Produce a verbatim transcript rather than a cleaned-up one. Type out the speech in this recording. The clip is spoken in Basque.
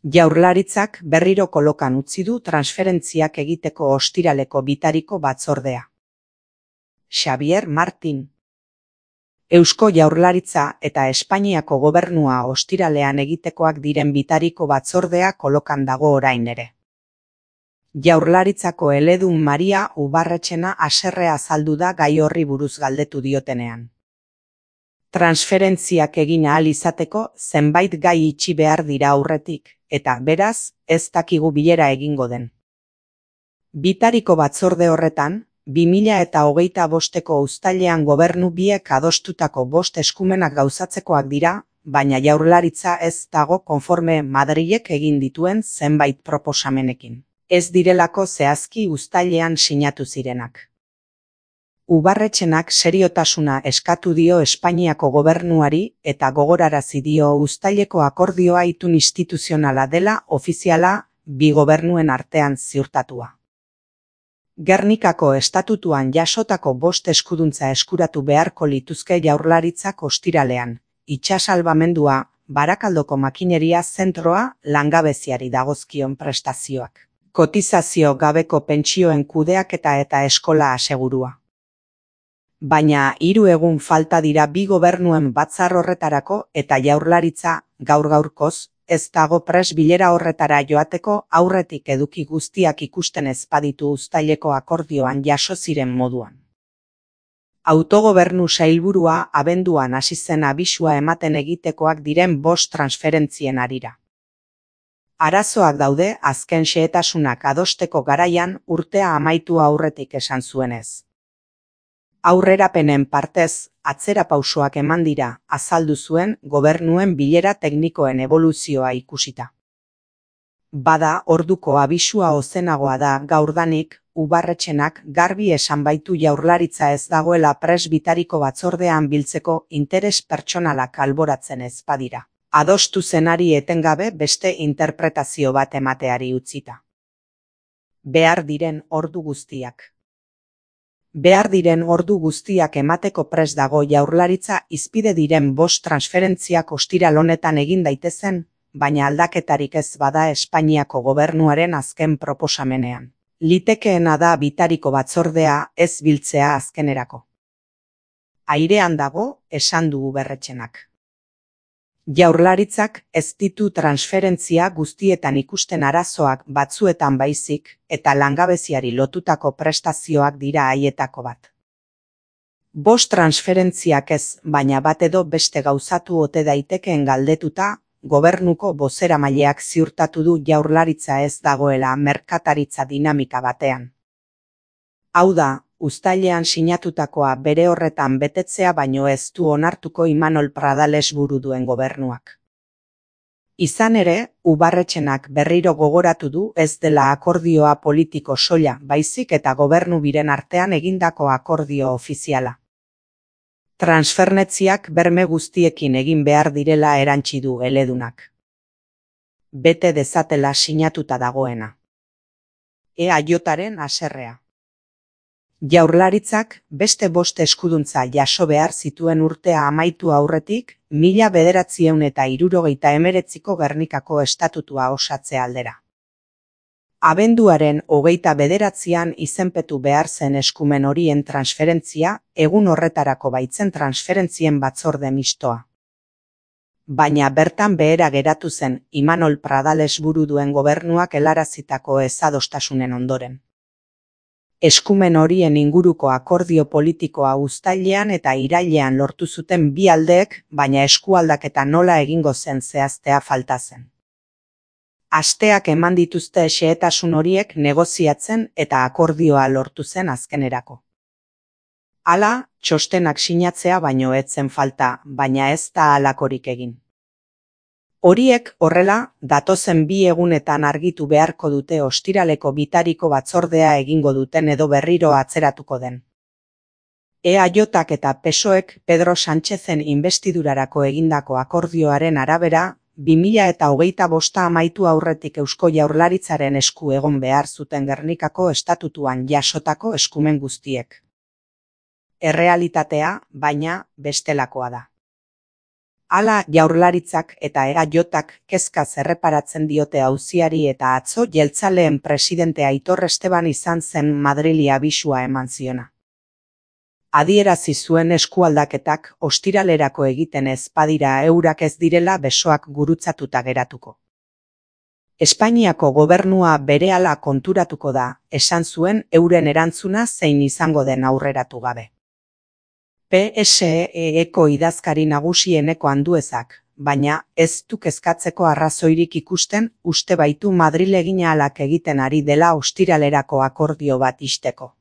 Jaurlaritzak berriro kolokan utzi du transferentziak egiteko ostiraleko bitariko batzordea. Xabier Martin. Eusko Jaurlaritza eta Espainiako gobernua ostiralean egitekoak diren bitariko batzordea kolokan dago orain ere. Jaurlaritzako eledun Maria Ubarretxena haserrea azaldu da gai horri buruz galdetu diotenean. Transferentziak egin ahal izateko zenbait gai itxi behar dira aurretik, eta beraz, ez dakigu bilera egingo den. Bitariko batzorde horretan, bi mila eta hogeita bosteko uztailean gobernu biek adostutako bost eskumenak gauzatzekoak dira, baina Jaurlaritza ez dago konforme Madrilek egin dituen zenbait proposamenekin. Ez direlako zehazki uztailean sinatu zirenak. Ubarretxenak seriotasuna eskatu dio Espainiako gobernuari eta gogorarazi dio uztaileko akordioa itun instituzionala dela ofiziala bi gobernuen artean ziurtatua. Gernikako estatutuan jasotako bost eskuduntza eskuratu beharko lituzke Jaurlaritzak ostiralean, itsasalbamendua, Barakaldoko makineria zentroa, langabeziari dagozkion prestazioak, kotizazio gabeko pentsioen kudeaketa eta eskola asegurua. Baina hiru egun falta dira bi gobernuen batzar horretarako eta Jaurlaritza gaur gaurkoz ez dago pres bilera horretara joateko aurretik eduki guztiak ikusten ez baditu uztaileko akordioan jaso ziren moduan. Autogobernu sailburua abenduan hasi zen abisua ematen egitekoak diren bost transferentzien harira. Arazoak daude azken xehetasunak adosteko garaian urtea amaitu aurretik esan zuenez. Aurrerapenen partez, atzera pausoak eman dira, azaldu zuen gobernuen bilera teknikoen eboluzioa ikusita. Bada orduko abisua ozenagoa da gaurdanik, Ubarretxenak garbi esan baitu Jaurlaritza ez dagoela pres bitariko batzordean biltzeko interes pertsonalak alboratzen ez badira. Adostu zenari etengabe beste interpretazio bat emateari utzita. Behar diren ordu guztiak. Behar diren ordu guztiak emateko prest dago Jaurlaritza izpide diren bost transferentziak ostiral honetan egin daitezen, baina aldaketarik ez bada Espainiako gobernuaren azken proposamenean. Litekeena da bitariko batzordea ez biltzea azkenerako. Airean dago, esan du Ubarretxenak. Jaurlaritzak ez ditu transferentzia guztietan ikusten arazoak batzuetan baizik eta langabeziari lotutako prestazioak dira haietako bat. Bost transferentziak ez, baina bat edo beste gauzatu ote daitekeen galdetuta, gobernuko bozeramaileak ziurtatu du Jaurlaritza ez dagoela merkataritza dinamika batean. Hau da, uztailean sinatutakoa bere horretan betetzea baino ez du onartuko Imanol Pradales buru duen gobernuak. Izan ere, Ubarretxenak berriro gogoratu du ez dela akordioa politiko soila baizik eta gobernu biren artean egindako akordio ofiziala. Transfernetziak berme guztiekin egin behar direla erantsi du eledunak. Bete dezatela sinatuta dagoena. E A Jaren haserrea. Jaurlaritzak beste bost eskuduntza jaso behar zituen urtea amaitu aurretik, mila bederatziehun eta hirurogeita hemeretziko Gernikako estatutua osatze aldera. Abenduaren hogeita bederatzian izenpetu behar zen eskumen horien transferentzia, egun horretarako baitzen transferentzien batzorde mistoa. Baina bertan behera geratu zen Imanol Pradales buru duen gobernuak helarazitako ezadostasunen ondoren. Eskumen horien inguruko akordio politikoa uztailean eta irailean lortu zuten bi aldeek, baina eskualdaketa nola egingo zen zehaztea falta zen. Asteak eman dituzte xehetasun horiek negoziatzen eta akordioa lortu zen azkenerako. Hala, txostenak sinatzea baino ez zen falta, baina ez da halakorik egin. Horiek horrela, datozen bi egunetan argitu beharko dute ostiraleko bitariko batzordea egingo duten edo berriro atzeratuko den. E A Jak eta P S O Ek Pedro Sánchezen inbestidurarako egindako akordioaren arabera, bi mila eta hogeita bosta amaitu aurretik Eusko Jaurlaritzaren esku egon behar zuten Gernikako estatutuan jasotako eskumen guztiek. Errealitatea, baina, bestelakoa da. Hala Jaurlaritzak eta E A J-ak kezkaz erreparatzen diote auziari eta atzo jeltzaleen presidente Aitor Esteban izan zen Madrili abisua eman ziona. Adierazi zuen eskualdaketak ostiralerako egiten ez badira eurak ez direla besoak gurutzatuta geratuko. Espainiako gobernua berehala konturatuko da, esan zuen euren erantzuna zein izango den aurreratu gabe. P S E-eko idazkari nagusieneko Anduezak, baina ez du kezkatzeko arrazoirik ikusten uste baitu Madrilegin ahalak egiten ari dela ostiralerako akordio bat ixteko.